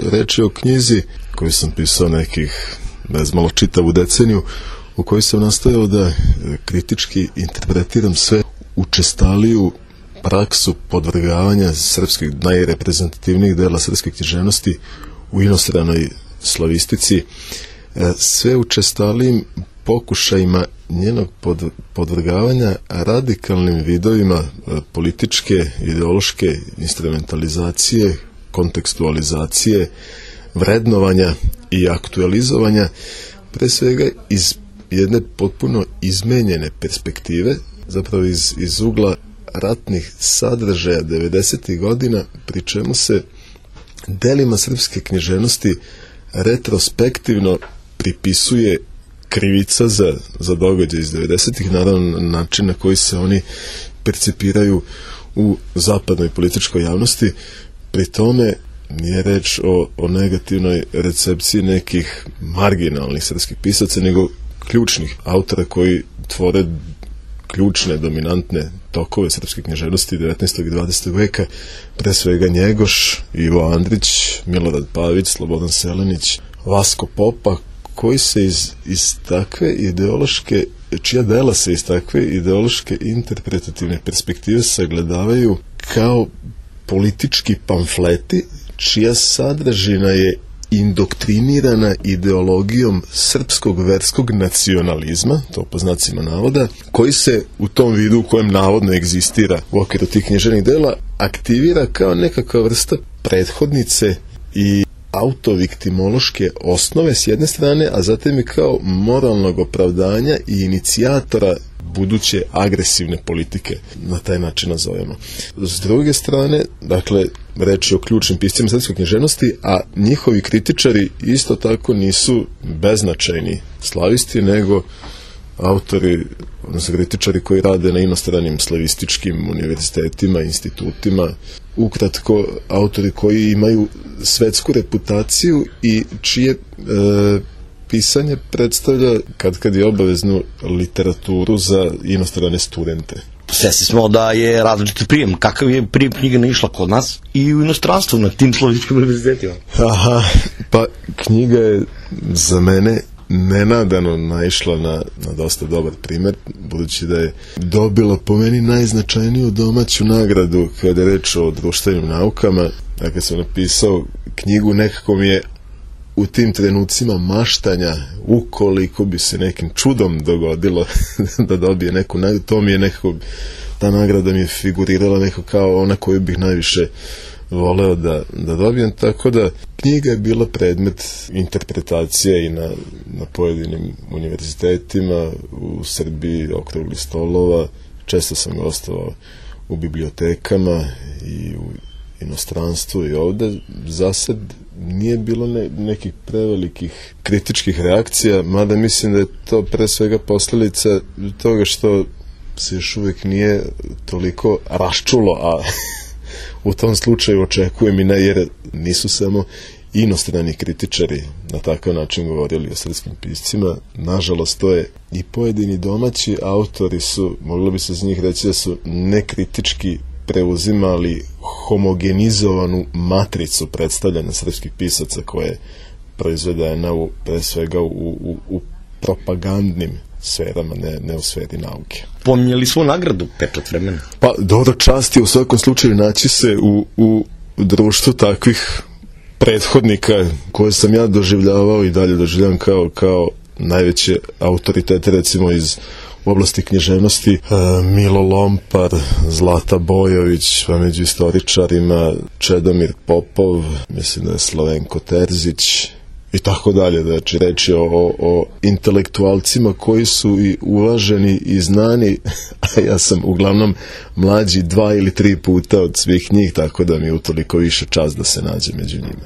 reč je o knjizi koju sam pisao nekih bezmalo čitavu deceniju, u kojoj sam nastojao da kritički interpretiram sve učestaliju praksu podvrgavanja srpskih najreprezentativnijih dela srpske književnosti u inostranoj slavistici, sve učestalijim pokušajima njenog podvrgavanja radikalnim vidovima političke, ideološke instrumentalizacije, kontekstualizacije, vrednovanja i aktualizovanja, pre svega iz jedne potpuno izmenjene perspektive, zapravo iz ugla ratnih sadržaja 90. godina, pri čemu se delima srpske književnosti retrospektivno pripisuje krivica za događaj iz 90. naravno na način na koji se oni percipiraju u zapadnoj političkoj javnosti. Pri tome nije reč o negativnoj recepciji nekih marginalnih srpskih pisaca, nego ključnih autora koji tvore ključne, dominantne tokove srpske književnosti 19. i 20. veka, pre svega Njegoš, Ivo Andrić, Milorad Pavić, Slobodan Selenić, Vasko Popa, koji se iz takve ideološke, čija dela se iz takve ideološke interpretativne perspektive sagledavaju kao politički pamfleti, čija sadržina je indoktrinirana ideologijom srpskog verskog nacionalizma, to po znacima navoda, koji se u tom vidu u kojem navodno egzistira u okviru tih književnih dela aktivira kao nekakva vrsta prethodnice i autoviktimološke osnove s jedne strane, a zatim i kao moralnog opravdanja i inicijatora buduće agresivne politike, na taj način nazovemo. S druge strane, dakle, reč je o ključnim piscima srpske književnosti, a njihovi kritičari isto tako nisu beznačajni slavisti, nego autori, odnosno kritičari koji rade na inostranim slavističkim univerzitetima, institutima, ukratko, autori koji imaju svetsku reputaciju i čije pisanje predstavlja kad je obaveznu literaturu za inostrane studente. Svesni smo da je različit prijem. Kakav je prijem knjiga naišla kod nas i u inostranstvu na tim slavističkim univerzitetima? Aha, pa knjiga je za mene nenadano naišla na dosta dobar primer, budući da je dobila po meni najznačajniju domaću nagradu kada je reč o društvenim naukama. Kad sam napisao knjigu, nekako mi je u tim trenucima maštanja, ukoliko bi se nekim čudom dogodilo da dobije neku nagradu, to mi je nekako, ta nagrada mi je figurirala nekako kao ona koju bih najviše voleo da dobijem, tako da knjiga je bila predmet interpretacije i na pojedinim univerzitetima u Srbiji, okruglih stolova. Često sam gostovao u bibliotekama i u inostranstvu i ovde. Zasad nije bilo nekih prevelikih kritičkih reakcija, mada mislim da je to pre svega posledica toga što se još uvijek nije toliko raščulo, a u tom slučaju očekujem i ne, jer nisu samo inostrani kritičari na takav način govorili o srpskim piscima. Nažalost, to je i pojedini domaći autori su, moglo bi se z njih reći da su nekritički preuzimali homogenizovanu matricu predstavljanja srpskih pisaca koja je proizvedena pre svega u propagandnim sferama, ne u sferi nauke. Pominjali smo nagradu Pečat vremena? Pa, dobro, čast je u svakom slučaju naći se u društvu takvih prethodnika koje sam ja doživljavao i dalje doživljavam kao najveće autoritete, recimo iz oblasti književnosti, Milo Lompar, Zlata Bojović, pa među istoričarima Čedomir Popov, mislim da je Slavenko Terzić i tako dalje. Znači, reč je o intelektualcima koji su i uvaženi i znani, a ja sam uglavnom mlađi 2 ili 3 puta od svih njih, tako da mi je utoliko više čast da se nađe među njima.